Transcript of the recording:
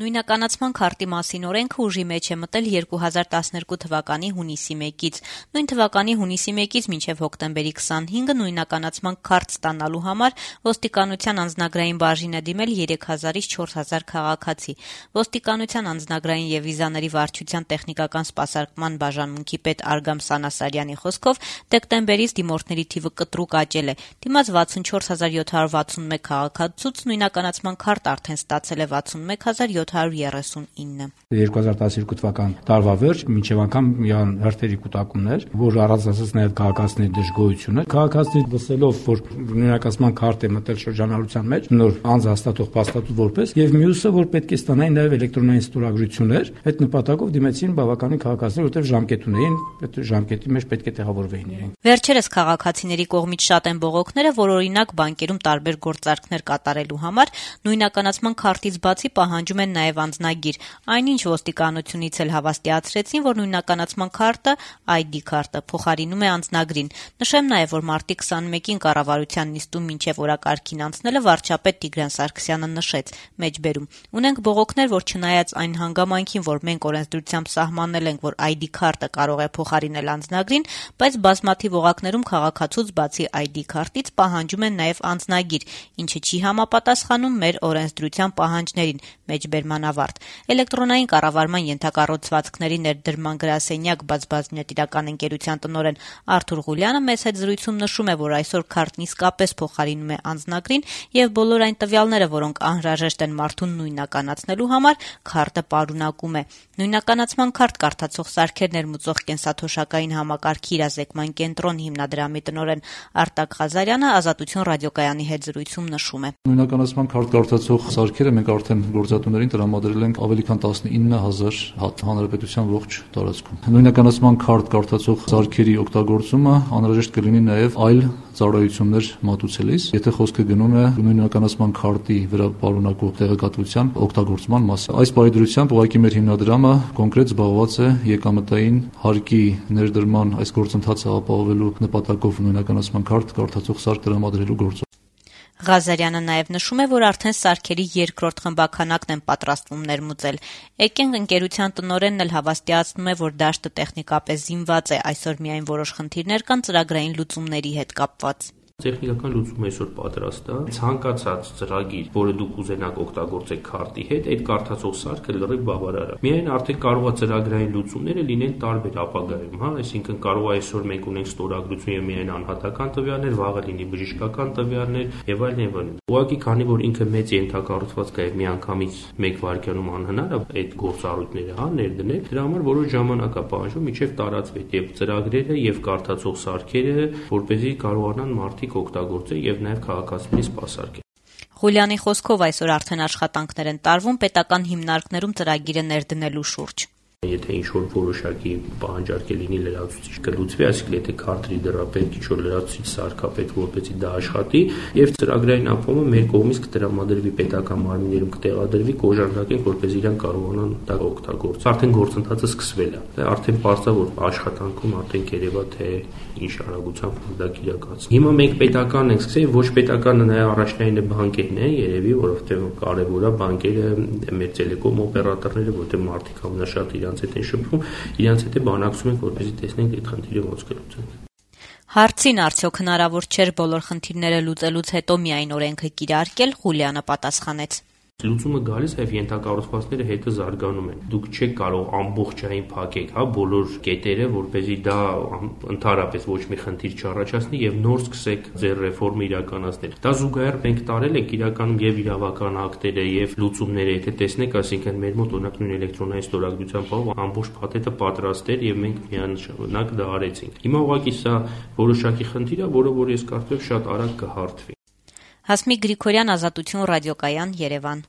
Նույնականացման քարտի մասին օրենքը ուժի մեջ է մտել 2012 թվականի հունիսի 1-ից։ Նույն թվականի հունիսի 1-ից մինչև հոկտեմբերի 25-ը նույնականացման քարտ ստանալու համար ոստիկանության անձնագրային բաժին է դիմել 3000-ից 4000 քաղաքացի։ Ոստիկանության անձնագրային եւ վիզաների վարչության տեխնիկական սպասարկման բաժանմունքի պետ Արգամ Սանասարյանի խոսքով դեկտեմբերից դիմորդների թիվը կտրուկ աճել է։ Դիմաց 64761 քաղաքացուց նույնականացման քարտ արդեն ստացել է 61739։ 2012 թվական տարվա վերջ մինչև անգամ յան հերթերի կուտակումներ, որ առանձնացած նաև քաղաքացիների դժգոհությունը։ Քաղաքացիները լսելով, որ նույնականացման քարտ է մտել շրջանառության մեջ, նոր անձ հաստատող փաստաթուղթ որպես, եւ մյուսը, որ պետք է ստանային նաև էլեկտրոնային ստորագրություններ, այդ նպատակով դիմեցին բավականին քաղաքացիներ, որտեղ ժամկետ ունեին, այդ ժամկետի մեջ պետք է տեղավորվեին իրենք։ Վերջերս քաղաքացիների կողմից շատ են բողոքները, որ օրինակ բանկերում տարբեր գործարքներ կատարելու համար նույնականացման քարտից բացի պահանջում են նաև անձնագիր։ Այնինչ ոստիկանությունից էլ հավաստիացրեցին, որ նույնականացման քարտը ID քարտը փոխարինում է անձնագրին։ Նշեմ նաև, որ մարտի 21-ին կառավարության նիստում մինչև օրակարգին անցնելը վարչապետ Տիգրան Սարգսյանը նշեց. մեջբերում ունենք բողոքներ, որ չնայած այն հանգամանքին, որ մենք օրենսդրությամբ սահմանել ենք, որ ID քարտը կարող է փոխարինել անձնագրին, բայց բազմաթիվ օղակներում քաղաքացուց բացի ID քարտից պահանջում են նաև անձնագիր, ինչը չի համապատասխանում մեր օրենսդրության պահանջներին։ Մեջբերման ավարտ։ Էլեկտրոնային կառավարման ենթակառուցվածքների ներդրման գրասենյակ բազմբաժնետիրական ընկերության տնօրեն Արթուր Ղուլյանը մեծ հետ զրույցում նշում է, որ այսօր քարտն իսկապես փոխարինում է անձնագրին եւ բոլոր այն տվյալները, որոնք անհրաժեշտ են մարդուն նույնականացնելու համար, քարտը պարունակում է։ Նույնականացման քարտ կարդացող սարքեր ներմուծող կենսաթոշակային համակարգի իրազեկման կենտրոն հիմնադրամի տնօրեն Արտակ Ղազարյանը Ազատություն ռադիոկայանի հետ զրույցում նշում է. Նույնականացման քարտ կարդացող սարքերը մենք արդեն գործատուներին տրամադրել ենք ավելի քան 19000 հատ հանրապետության ողջ տարածքում։ Նույնականացման քարտ կարդացող սարքերի օգտագործումը անհրաժեշտ կլինի նաև այլ ծառայություններ մատուցելիս, եթե խոսքը գնում է նույնականացման քարտի վրա պարունակող տեղեկատվության օգտագործման մասին։ Այս բարեդրությամբ ուղղակի մեր հիմնադրամը կոնկրետ զբաղված է եկամտային հարկի ներդրման այս գործընթացը ապահովելու նպատակով նույնականացման քարտ կարդացող սարք տրամադրելու գործով։ Ղազարյանը նաև նշում է, որ արդեն սարքերի երկրորդ խմբականակն են պատրաստվում ներմուծել։ Էկենք ընկերության տնօրենն էլ հավաստիացնում է, որ դաշտը տեխնիկապես զինված է, այսօր միայն որոշ խնդիրներ կան ծրագրային լուծումների հետ կապված։ Տեխնիկական լուծումը այսօր պատրաստ է։ Ցանկացած ծրագիր, որը դուք ուզենաք օգտագործել քարտի հետ, այդ կարդացող սարքը լրիվ բավարար է։ Միայն արդեն կարող է ծրագրային լուծումները լինեն տարբեր ապագայում, այսինքն կարող է այսօր մենք ունենք ստորագրություն եւ միայն անհատական տվյալներ, վաղը լինի բժշկական տվյալներ եւ այլն եւ այլն։ Ուղղակի քանի որ ինքը մեծ ենթակառուցվածք է եւ միանգամից 1 վայրկյանում անհնար է այդ գործառույթները ներդնել, դրա համար որոշ ժամանակ է պահանջվում մինչեւ տարածվի եւ ծրագրերը եւ կարդացող սարքերը, որպեսզի կարողանան մարդիկ օգտագործել եւ նաեւ քաղաքացիների սպասարկել։ Ղուլյանի խոսքով այսօր արդեն աշխատանքներ են տարվում պետական հիմնարկներում ծրագիրը ներդնելու շուրջ։ Եթե ինչ-որ որոշակի պահանջարկ է լինի լրացուցիչ կլուծվի, այսինքն եթե քարտի դրա պետք ինչ-որ լրացուցիչ սարքապետ որպեսզի դա աշխատի եւ ծրագրային ապահովումը մեր կողմից կտրամադրվի պետական մարմիններում կտեղադրվի, կօժանդակենք, որպեսզի իրենք կարողանան դա օգտագործել։ Արդեն գործընթացը սկսվել է։ Արդեն պարզ է, որ աշխատանքում արդեն երևա թե ինչ արագությամբ դա կիրակացնի։ Հիմա մենք պետական ենք սկսել, ոչ պետականը նաեւ առաջնայինը բանկերն են երևի, որովհետեւ կարեւոր է բանկերը մեր տելեկոմ օպերատորները, որտեղ մարդիկ ամենաշատ իրենց հետ են շփվում, իրենց հետ է բանակցում ենք, որպեսզի տեսնենք այդ խնդիրը ոնց կլուծենք։ Հարցին արդյոք հնարավոր չէր բոլոր խնդիրները լուծելուց հետո միայն օրենքը կիրարկել, Ղուլյանը պատասխանեց. Լուծումը գալիս եւ ենթակառուցվածքները հետը զարգանում են։ Դուք չեք կարող ամբողջային փակեք, բոլոր կետերը, որպեսզի դա ընդհանրապես ոչ մի խնդիր չառաջացնի եւ նոր սկսեք ձեր ռեֆորմը իրականացնել։ Դա զուգահեռ մենք տարել ենք իրականում եւ իրավական ակտերը եւ լուծումները, եթե տեսնեք, այսինքն մեր մոտ օրինակ նույն էլեկտրոնային ստորագրության բով ամբողջ փաթեթը պատրաստ էր եւ մենք միանշանակ դա արեցինք։ Հիմա ուղղակի սա որոշակի խնդիր է, որը ես կարծում եմ շատ արագ կհարթվի։ Հասմիկ Գրիգորյան, Ազատություն ռադիոկայան, Երևան։